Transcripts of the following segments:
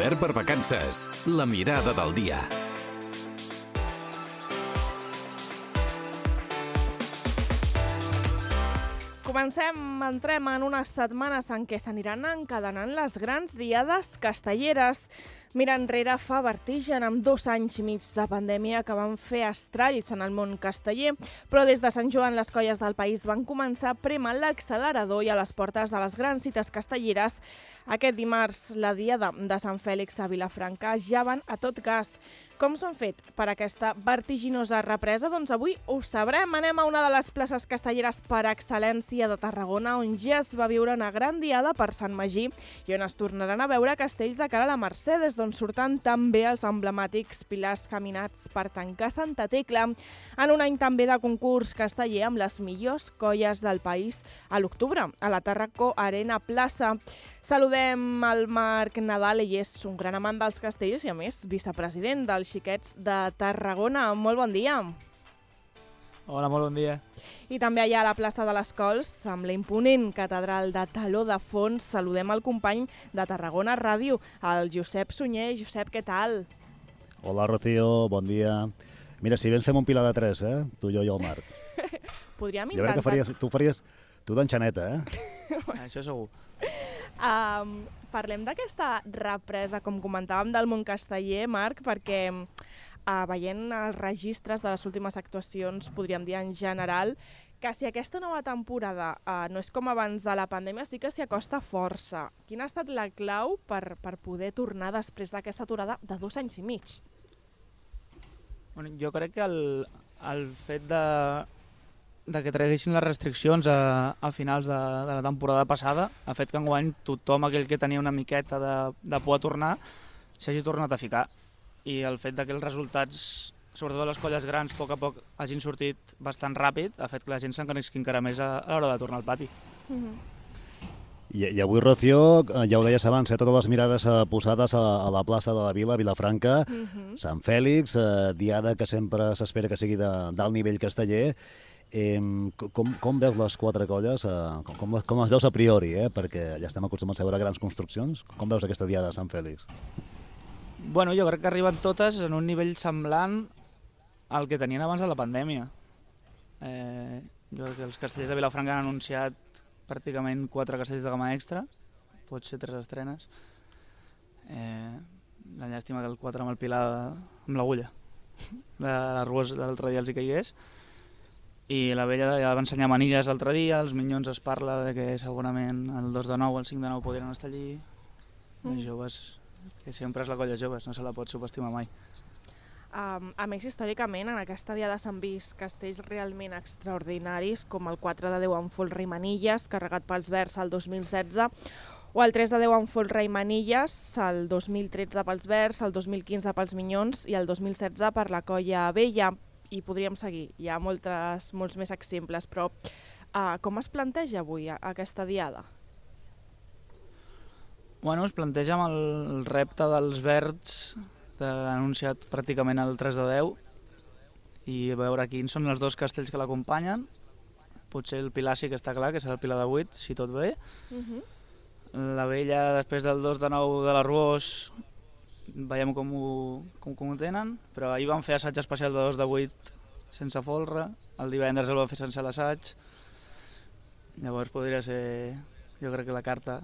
Poder per vacances. La mirada del dia. Entrem en unes setmanes en què s'aniran encadenant les grans diades castelleres. Mirar enrere fa vertigen amb 2 anys i mig de pandèmia que van fer estralls en el món casteller, però des de Sant Joan les colles del país van començar a prémer l'accelerador i a les portes de les grans cites castelleres. Aquest dimarts, la diada de Sant Fèlix a Vilafranca ja van a tot gas. Com s'ho han fet per aquesta vertiginosa represa? Doncs avui ho sabrem. Anem a una de les places castelleres per excel·lència de Tarragona, on ja es va viure una gran diada per Sant Magí i on es tornaran a veure castells de cara a la Mercè, des d'on surten també els emblemàtics pilars caminats per tancar Santa Tecla, en un any també de concurs casteller amb les millors colles del país a l'octubre, a la Tarraco Arena Plaça. Saludem el Marc Nadal, ell és un gran amant dels castells i, a més, vicepresident dels Xiquets de Tarragona. Molt bon dia. Hola, molt bon dia. I també allà a la plaça de les Cols, amb la imponent catedral de Taló de fons, saludem el company de Tarragona Ràdio, el Josep Sunyer. Josep, què tal? Hola, Rocío, bon dia. Mira, si vens fem un pilar de 3, tu, jo i el Marc. Podríem intentar... Jo crec que faries tu d'enxaneta, Això segur. Parlem d'aquesta represa, com comentàvem, del món casteller, Marc, perquè veient els registres de les últimes actuacions, podríem dir en general, que si aquesta nova temporada no és com abans de la pandèmia, sí que s'hi acosta força. Quina ha estat la clau per poder tornar després d'aquesta aturada de 2 anys i mig? Bueno, jo crec que el fet de que traguessin les restriccions a finals de la temporada passada ha fet que enguany tothom aquell que tenia una miqueta de por a tornar s'hagi tornat a ficar. I el fet que els resultats, sobretot les colles grans, a poc hagin sortit bastant ràpid, ha fet que la gent s'encanisqui encara més a l'hora de tornar al pati. I avui, Rocío, ja ho deies abans, totes les mirades posades a la plaça de la Vila, Vilafranca, Sant Fèlix, diada que sempre s'espera que sigui d'alt nivell casteller. Com veus les 4 colles? Com les veus a priori? Perquè ja estem acostumats a veure grans construccions. Com veus aquesta diada de Sant Fèlix? Bueno, jo crec que arriben totes en un nivell semblant al que tenien abans de la pandèmia. Jo crec que els castellers de Vilafranca han anunciat pràcticament 4 castells de gamma extra, pot ser 3 estrenes. La llàstima que el 4 amb el pilar amb l'agulla de l'Arbues l'altre dia els hi caigués. I la vella ja va ensenyar manilles l'altre dia, els minyons es parla de que segurament el 2 de 9 o el 5 de 9 podrien estar allí. Els joves, que sempre és la colla joves, no se la pot subestimar mai. A més, històricament, en aquesta diada s'han vist castells realment extraordinaris, com el 4 de 10 amb folre i manilles, carregat pels Verds el 2016, o el 3 de 10 amb folre i manilles, el 2013 pels Verds, el 2015 pels Minyons i el 2016 per la colla Vella. I podríem seguir, hi ha molts més exemples, però com es planteja avui aquesta diada? Bueno, es planteja amb el repte dels Verds, que han anunciat pràcticament el 3 de 10, i a veure quins són els 2 castells que l'acompanyen. Potser el pilar sí que està clar, que serà el pilar de 8, si tot bé. La vella, després del 2 de 9 de l'Arbós, veiem com ho tenen, però ahir van fer assaig especial de 2 de 8 sense folre, el divendres el van fer sense l'assaig. Llavors podria ser, jo crec que la carta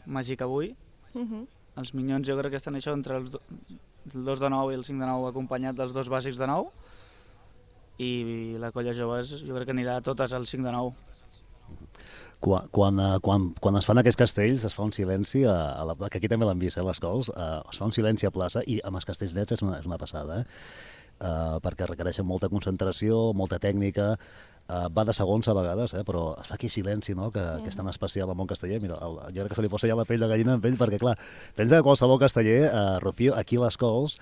màgica avui. Els Minyons jo crec que estan això entre el 2 de 9 i el 5 de 9 acompanyat dels 2 bàsics de 9, i la colla joves jo crec que anirà a totes al 5 de 9. Quan es fan aquests castells es fa un silenci, que aquí també l'han vist, les Cols, es fa un silenci a plaça, i amb els castells nets és una passada, perquè requereixen molta concentració, molta tècnica, va de segons a vegades, però es fa aquí silenci, no?, que és tan especial al món casteller. Mira, jo crec que se li posa ja la pell de gallina amb ell, perquè clar, pensa que qualsevol casteller, Rocío, aquí a les Cols,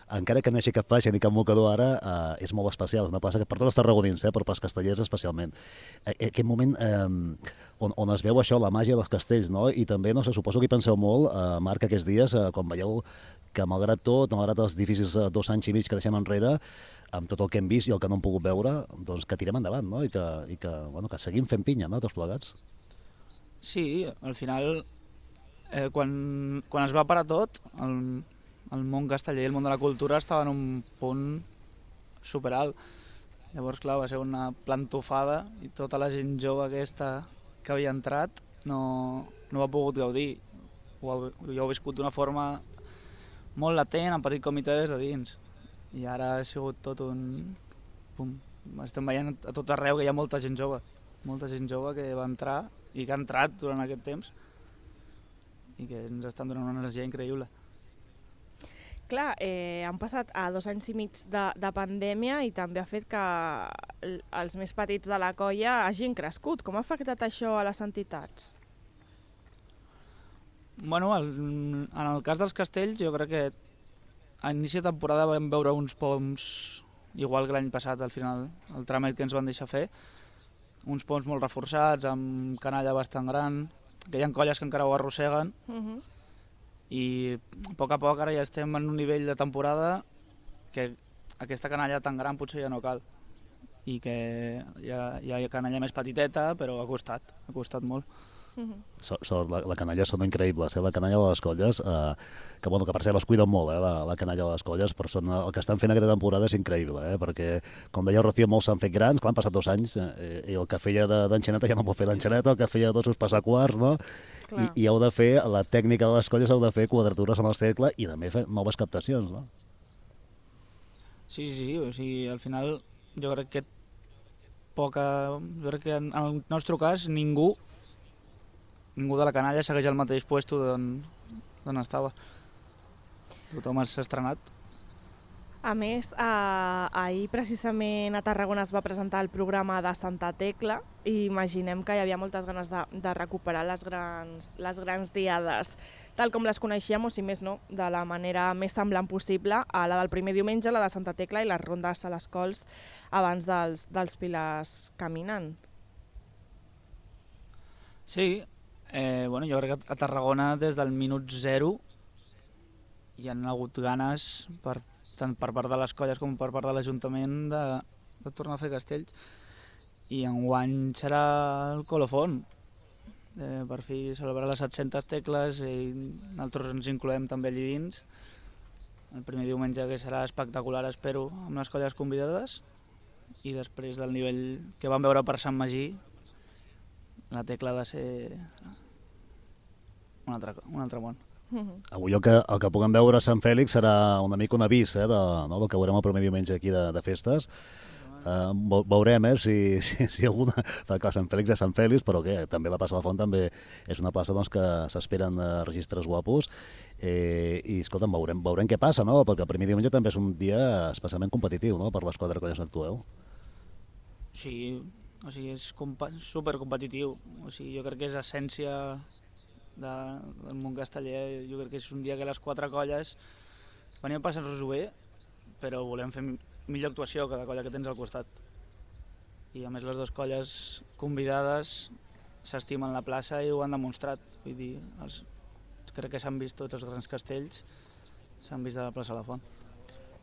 encara que no hi hagi cap faixa ni cap mocador ara, és molt especial. És una plaça que per tots els tarragonins, però pels castellers especialment. Aquest moment on es veu això, la màgia dels castells, no? I també, no sé, suposo que hi penseu molt, Marc, aquests dies, quan veieu que malgrat tot, malgrat els difícils 2 anys i mig que deixem enrere, amb tot el que hem vist i el que no hem pogut veure, doncs que tirem endavant, no? I que seguim fent pinya, no?, tots plegats. Sí, al final Quan es va parar tot, el món casteller i el món de la cultura estava en un punt superalt. Llavors, clar, va ser una plantofada i tota la gent jove aquesta que havia entrat no ha pogut gaudir. Jo ho he viscut d'una forma molt latent, en petit comitè des de dins. I ara ha sigut tot un... Pum. Estem veient a tot arreu que hi ha molta gent jove que va entrar i que ha entrat durant aquest temps i que ens estan donant una energia increïble. Clar, han passat 2 anys i mig de pandèmia i també ha fet que els més petits de la colla hagin crescut. Com ha afectat això a les entitats? Bueno, en el cas dels castells, jo crec que a inici de temporada vam veure uns poms, igual que l'any passat, al final, el tràmit que ens van deixar fer, uns poms molt reforçats, amb canalla bastant gran, que hi ha colles que encara ho arrosseguen, i a poc ara ja estem en un nivell de temporada que aquesta canalla tan gran potser ja no cal, i que hi ha canalla més petiteta, però ha costat molt. La canalla són increïbles, la canalla de les colles, que per cert les cuiden molt, la canalla de les colles, però el que estan fent aquesta temporada és increïble, perquè, com deia el Rocío, molts s'han fet grans, clar, han passat 2 anys, i el que feia d'enxaneta ja no pot fer d'enxaneta, el que feia de dolços passar quarts, no? I heu de fer, la tècnica de les colles heu de fer quadratures amb el cercle i també fer noves captacions, no? Sí, o sigui, al final jo crec que en el nostre cas ningú de la canalla segueix al mateix puesto d'on estava. Tothom s'ha estrenat. A més, ahir precisament a Tarragona es va presentar el programa de Santa Tecla i imaginem que hi havia moltes ganes de recuperar les grans diades, tal com les coneixíem, o si més no, de la manera més semblant possible a la del primer diumenge, la de Santa Tecla i les rondes a les cols abans dels pilars caminant. Sí, jo crec que a Tarragona des del minut 0 hi han hagut ganes tant per part de les colles com per part de l'Ajuntament de tornar a fer castells, i enguany serà el colofon, per fi celebrar les 700 tecles i nosaltres ens incloem també allí dins. El primer diumenge que serà espectacular, espero, amb les colles convidades, i després del nivell que vam veure per Sant Magí, la tecla ha de ser un altre món. Avui el que puguem veure a Sant Fèlix serà una mica un avís del que veurem el primer diumenge aquí de festes. Veurem si alguna... Perquè Sant Fèlix és Sant Fèlix, però també la plaça de la Font també és una plaça que s'esperen registres guapos. I escolta'm, veurem què passa, no? Perquè el primer diumenge també és un dia especialment competitiu, no?, per les 4 colles on actueu. Sí, o sigui, és supercompetitiu. O sigui, jo crec que és essència del món casteller. Jo crec que és un dia que les 4 colles venim a passar-nos-ho bé, però volem fer millor actuació que la colla que tens al costat. I a més les 2 colles convidades s'estimen la plaça i ho han demostrat. Vull dir, crec que s'han vist tots els grans castells, s'han vist a la plaça de la Font.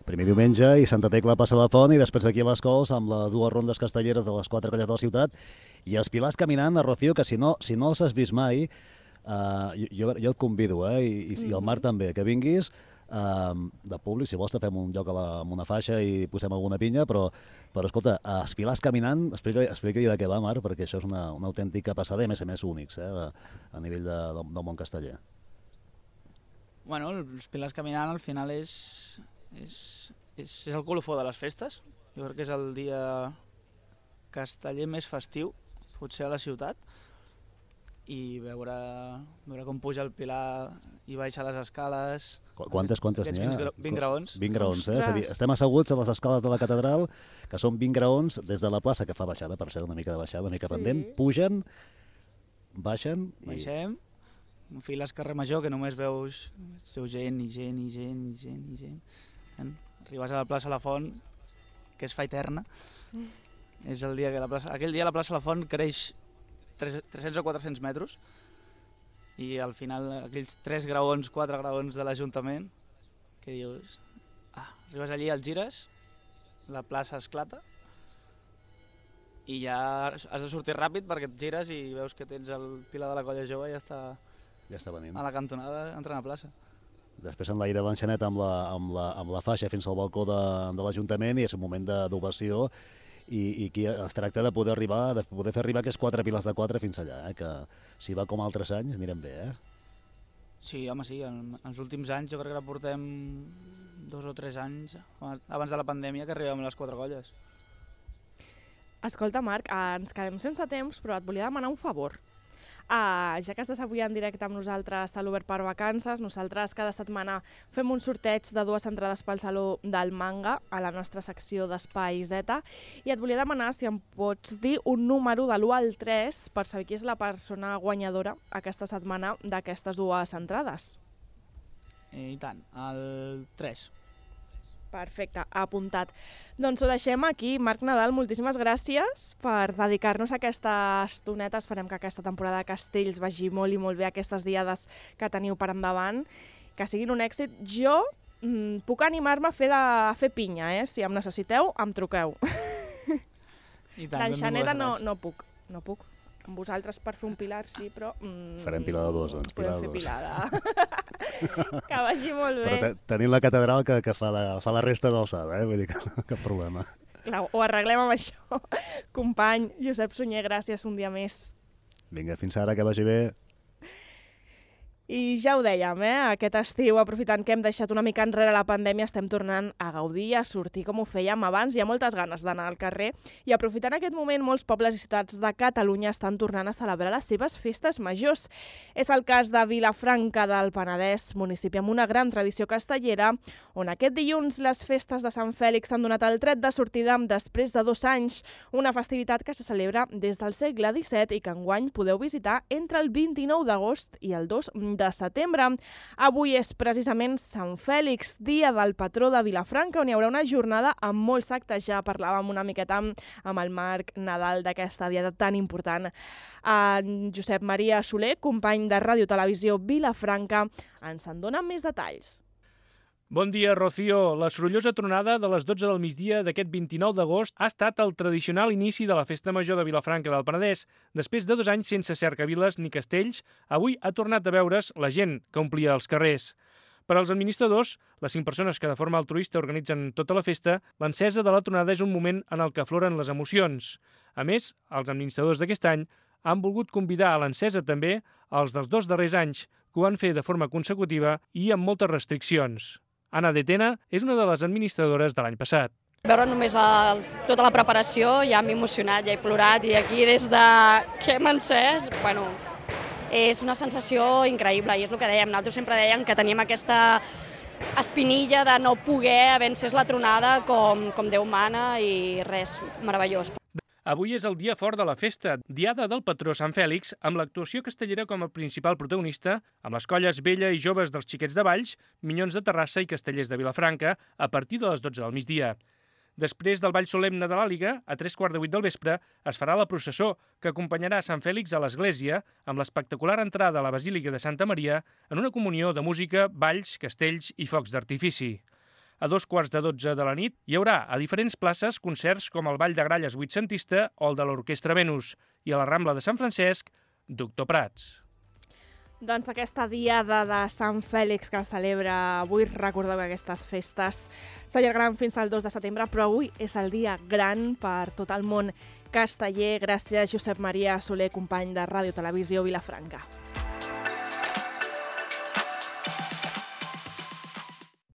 Primer diumenge i Santa Tecla a Plaça de la Font, i després d'aquí a les Cols amb les 2 rondes castelleres de les 4 colles de la ciutat i els pilars caminant a Rocío, que si no els has vist mai, jo et convido, i el Marc també, que vinguis de públic. Si vols te fem un lloc amb una faixa i posem alguna pinya, però escolta, els pilars caminant, explica-li de què va, Marc, perquè això és una autèntica passada i a més únics a nivell del món casteller. Bueno, els pilars caminant al final és el colofó de les festes. Jo crec que és el dia casteller més festiu, potser a la ciutat, i veure com puja el pilar i baixa les escales. Quantes n'hi ha? 20 graons. 20 graons, És a dir, estem asseguts a les escales de la catedral, que són 20 graons des de la plaça, que fa baixada, per cert, una mica de baixada, una mica pendent, pugen, baixen... Baixem, files carrer Major, que només veus gent i gent i gent i gent i gent. Arribes a la plaça La Font, que es fa eterna. És el dia que aquell dia la plaça La Font creix 300 o 400 metres, i al final aquells 3 graons, 4 graons de l'Ajuntament, que dius, arribes allí, el gires, la plaça esclata, i ja has de sortir ràpid perquè et gires i veus que tens el pilar de la colla jove i ja està Ja està venint. A la cantonada entrant a plaça. Després enlaira l'enxanet amb la faixa fins al balcó de l'Ajuntament i és un moment d'ovació i aquí es tracta de poder fer arribar aquests 4 piles de 4 fins allà, que si va com altres anys anirem bé, Sí, home, sí, en els últims anys jo crec que portem 2 o 3 anys abans de la pandèmia que arribem a les 4 colles. Escolta, Marc, ens quedem sense temps, però et volia demanar un favor. Ja que estàs avui en directe amb nosaltres a l'Obert per Vacances, nosaltres cada setmana fem un sorteig de 2 entrades pel Saló del Manga a la nostra secció d'Espai Z i et volia demanar si em pots dir un número de l'1 al 3 per saber qui és la persona guanyadora aquesta setmana d'aquestes 2 entrades. I tant, el 3. Perfecte, apuntat. Doncs ho deixem aquí. Marc Nadal, moltíssimes gràcies per dedicar-nos a aquesta estoneta. Esperem que aquesta temporada de Castells vagi molt i molt bé aquestes diades que teniu per endavant, que siguin un èxit. Jo puc animar-me a fer pinya, si em necessiteu, em truqueu. L'enxaneta no puc. Amb vosaltres per fer un pilar sí, però... Farem pilada 2, doncs. Podem fer pilada. Que vagi molt bé. Però tenim la catedral que fa la resta d'alçada, vull dir que cap problema. Clar, ho arreglem amb això. Company Josep Sunyer, gràcies un dia més. Vinga, fins ara, que vagi bé. I ja ho dèiem, aquest estiu, aprofitant que hem deixat una mica enrere la pandèmia, estem tornant a gaudir, a sortir com ho fèiem abans. Hi ha moltes ganes d'anar al carrer i aprofitant aquest moment, molts pobles i ciutats de Catalunya estan tornant a celebrar les seves festes majors. És el cas de Vilafranca del Penedès, municipi amb una gran tradició castellera, on aquest dilluns les festes de Sant Fèlix han donat el tret de sortida després de 2 anys, una festivitat que se celebra des del segle XVII i que enguany podeu visitar entre el 29 d'agost i el 2 de setembre. Avui és precisament Sant Fèlix, dia del patró de Vilafranca, on hi haurà una jornada amb molts actes. Ja parlàvem una miqueta amb el Marc Nadal d'aquesta diada tan important. En Josep Maria Soler, company de Ràdio Televisió Vilafranca, ens en dona més detalls. Bon dia, Rocío. La sorollosa tronada de les 12 del migdia d'aquest 29 d'agost ha estat el tradicional inici de la Festa Major de Vilafranca del Penedès. Després de 2 anys sense cercaviles ni castells, avui ha tornat a veure's la gent que omplia els carrers. Per als administradors, les 5 persones que de forma altruista organitzen tota la festa, l'encesa de la tronada és un moment en el que afloren les emocions. A més, els administradors d'aquest any han volgut convidar a l'encesa també els dels 2 darrers anys, que ho van fer de forma consecutiva i amb moltes restriccions. Anna de Tena és una de les administradores de l'any passat. Veure només tota la preparació ja m'he emocionat, ja he plorat i aquí des de que hem encès, és una sensació increïble i és el que dèiem, nosaltres sempre dèiem que teníem aquesta espinilla de no poder haver encès la tronada com Déu mana i res, meravellós. Avui és el dia fort de la festa, diada del patró Sant Fèlix, amb l'actuació castellera com a principal protagonista, amb les colles vella i joves dels Xiquets de Valls, Minyons de Terrassa i Castellers de Vilafranca, a partir de les 12 del migdia. Després del ball solemne de l'Àliga, a 7:45 del vespre, es farà la processó, que acompanyarà Sant Fèlix a l'església, amb l'espectacular entrada a la Basílica de Santa Maria, en una comunió de música, balls, castells i focs d'artifici. A 2:15 de la nit hi haurà a diferents places concerts com el Ball de Gralles vuitcentista o el de l'Orquestra Venus i a la Rambla de Sant Francesc, Doctor Prats. Doncs aquesta diada de Sant Fèlix que celebra avui, recordeu que aquestes festes s'allargaran fins al 2 de setembre, però avui és el dia gran per tot el món casteller. Gràcies, Josep Maria Soler, company de Ràdio Televisió Vilafranca.